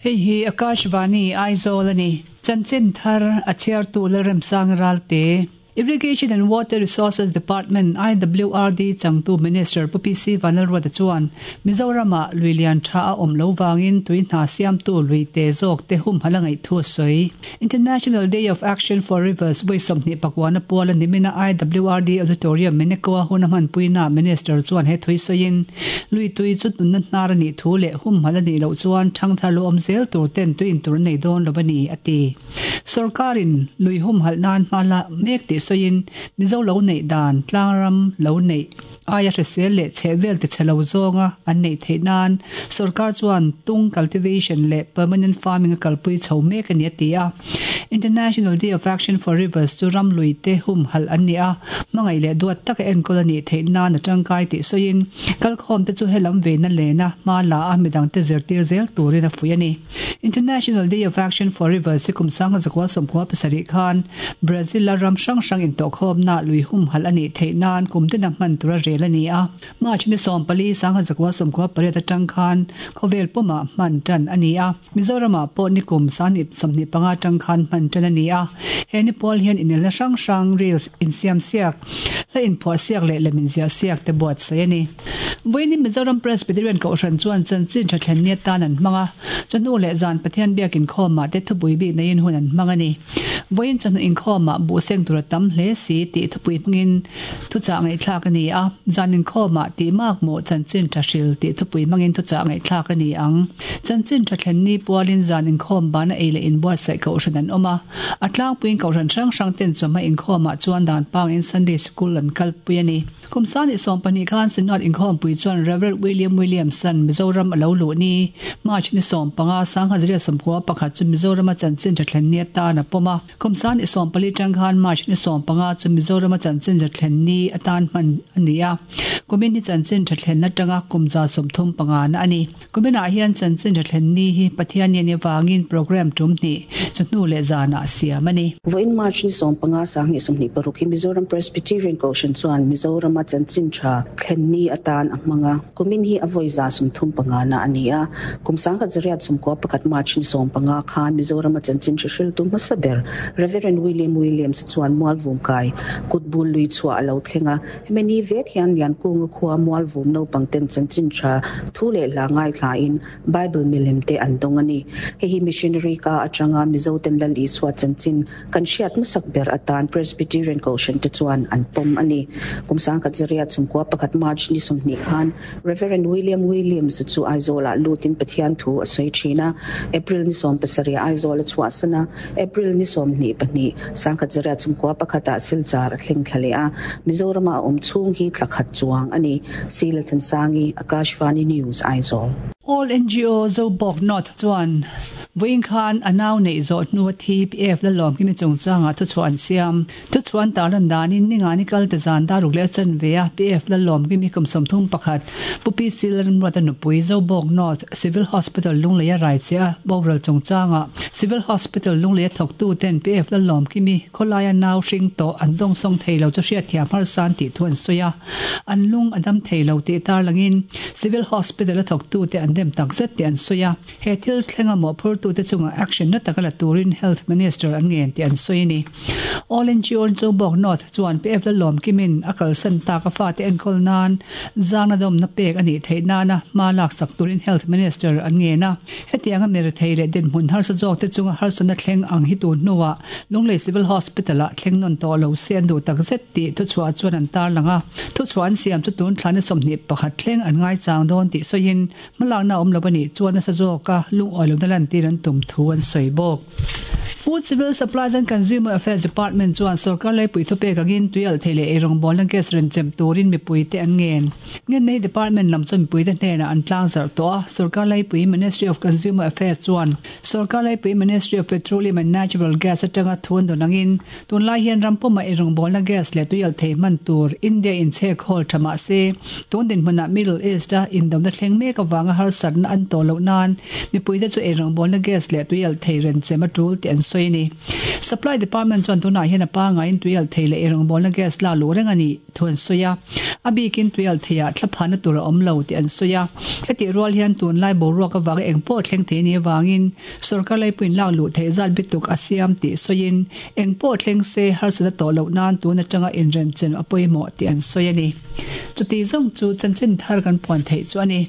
Hei hi Akashvani, Aizawl a ni. Chanchin thar a chhiartu Lalremsang Ralte. Irrigation and Water Resources Department, IWRD, changtu Minister Pu PC Vanlalruata chuan Mizoramah lui lian tha a awm lo vangin tui hna siamtu lui te zawk te humhalh a ngaih thu a sawi. International Day of Action for Rivers vawi 24 puala nimina IWRD Auditorium Meneko-a hun a hmanpuinaah Minister chuan he thui sawiin lui tui chu nunna hnar a nih thu leh humhalh a nih loh chuan thangthar lo awm zel tur ten tui intur an nei dawn lo a ni, a ti. Sorkarin lui humhalh nan hma la mek tih sawiin Mizo lo neih dan tlangram lo neih aia hrisel leh chhehvel tichhe lo zawnga an neih theih nan sorkar chuan tung cultivation leh permanent farming a kalpui chho mek a ni a ti a. International Day of Action for Rivers chu ram lui te humhalh an ni a, hmangaih leh duat taka enkawl a nih theih nan a tangkai tih sawiin kalkhawm te chu helam veina lena hma la a midangte zirtir zel turin a fuih a ni. International Day of Action for Rivers hi kum 1997 khan Brazil-a ram hrang hrang intawhkhawmna lui humhalh a nih theih nan kum tina hman tura rel a ni a. March ni 14, 1998 atang khan khawvel pumah hman tan a ni a. Mizoramah pawh ni kum 25 atang khan hman tan a ni a. He ni pawl hian inelna hrang hrang, reels insiamsiak, hla inphuahsiak leh lem inziahsiak te buatsaih a ni. Vawiin Mizoram Presbyterian Kohhran chuan chanchin tha thlen ni atan an hmang a, chawhnu leh zan Pathian biak inkhawmah te thupui bik neiin hun an hmang a ni. Vawiin chawhnu inkhawmah buh seng tur a tam hle si tih thupui hmangin thuchah ngaihthlak a ni a, zan inkhawmah tih mak maw chanchin tha hril tih thupui hmangin thuchah ngaihthlak a ni ang. Chanchin tha thlen ni pualin zan inkhawm bana ei leh inbuatsaih kohhran an awm a, a tlangpuiin kohhran hrang hrang ten chawhma inkhawmah chuan dan pangin Sunday Sikul an kalpui a ni. Kum 2020 khan Synod inkhawmpui chuan Rev William Williamson Mizoram a lo luh ni, March ni 15, 1991 chu Mizorama chanchin tha thlen ni atan a pawm a. Kum 2024 tang khan March ni 15 chu Mizorama chanchin tha thlen ni atan hman a ni a. Kumin hi chanchin tha thlen atanga kum 35 na a ni. Kuminah hian chanchin tha thlen ni hi Pathian ni avangin programme tum hnih chawhnu leh zanah siam a ni. Vawiin March ni 15 2026 hi Mizoram Presbyterian Kohhran chuan Mizorama chanchin tha thlen ni atan a hmang a. Kumin hi a vawi 35 na a ni a. Kum 1991 March ni 15 khan Mizorama chanchin hre hriltu hmasa ber Reverend William Williams chuan Mualvum kai kutbul lui chhuah a lo thleng a. Hemi ni vek hian Liankunga khua Mualvum naupang ten chanchin tha thu leh hla ngaithlain Bible milem te an dawng a ni. Hei hi missionary ka atanga Mizo ten Lal Isua chanchin kan hriat hmasak ber atan Presbyterian Kohhran te chuan an pawm a ni. Kum 1991 March ni 20 khan Rev. William Williams chu Aizawlah lutin Pathian thu a sawi thin a, April ni 17 Aizawl a chhuahsan a, April ni 22, 1991 ah Silchar a thleng thla leh a, Mizorama a awm chhung hi thla khat chuang a ni. Sila Thansangi, Akashvani News, Aizawl. All NGO Zobawk North chuan vawiin khan a nau neih zawh hnu a thi PF Lalawmkimi chungchangah thuchhuah an siam. Thuchhuah an tarlan danin Ningani kal te zan daruk leh a chanve a PF Lalawmkimi kum 31 Pu PC Lalramruata nupui Zobawk North Civil Hospital Lunglei a rai che a boral chungchangah Civil Hospital Lunglei a thawktu ten PF Lalawmkimi khawlaia nau hring tawh an dawngsawng thei lo chu hriatthiam harsa an tih thu an sawi a, an lung a dam thei lo tih tarlangin Civil Hospital a thawktute an dem takzet tih an sawi a. He thil thlenga mawhphurtute chungah action na taka la turin Health Minister an ngen tih an sawi a ni. All NGO Zobawk North chuan PF Lalawmkimin a kalsan tak a fate enkawl nan zangna dawmna pek a nih theih nana hma laksak turin Health Minister an ngen a. Hetianga mirethei leh dinhmun harsa zawkte chunga harsatna thleng ang hi tun hnuah Lunglei Civil Hospital-ah thleng nawn tawh lo se an duh takzet tih thuchhuah chuan an tarlang a. Thuchhuah an siam chu tun thla ni 21 thleng an ngaichang dawn tih sawiin Hmalakna awm lo a nih chuan nasa zawka lungawi lohna lantir an tum thu an sawi bawk. Food, Civil Supplies and Consumer Affairs Department chuan sorkar leipui thupek angin tuialh thei leh eirawngbawlna gas rawn chem turin mipuite an ngen. Ngennei Department lam chuan mipuite hnenah an tlangzarh tawh a, sorkar leipui Ministry of Consumer Affairs chuan sorkar leipui Ministry of Petroleum and Natural Gas atanga thu an dawn angin Tunlai hian ram pumah eirawngbawlna gas leh tuialh thei hman tur India in chhek hawl tha mah se, tun dinhmunah Middle East a indona thleng mek avanga harsatna an tawh loh nan mipuite chu eirawngbawlna gas leh tuialh thei renchem a tul tih an sawi. sawi a ni. Supply Department chuan tunah hian a pangaiin tuialhthei leh eirawngbawlna gas lak luh reng a nih thu an sawi a, a bikin tuialhtheiah thlaphahna tur a awm lo tih an sawi a. Hetih rual hian tunlai boruak avanga eng pawh thleng thei a nih avangin sorkar laipuiin lak luh theih zat bituk a siam tih sawiin eng pawh thleng se harsat a tawh loh nan tun atanga inremchen a pawimawh tih an sawi a ni. Chuti zawng chu chanchin thar kan puan theih chu a ni.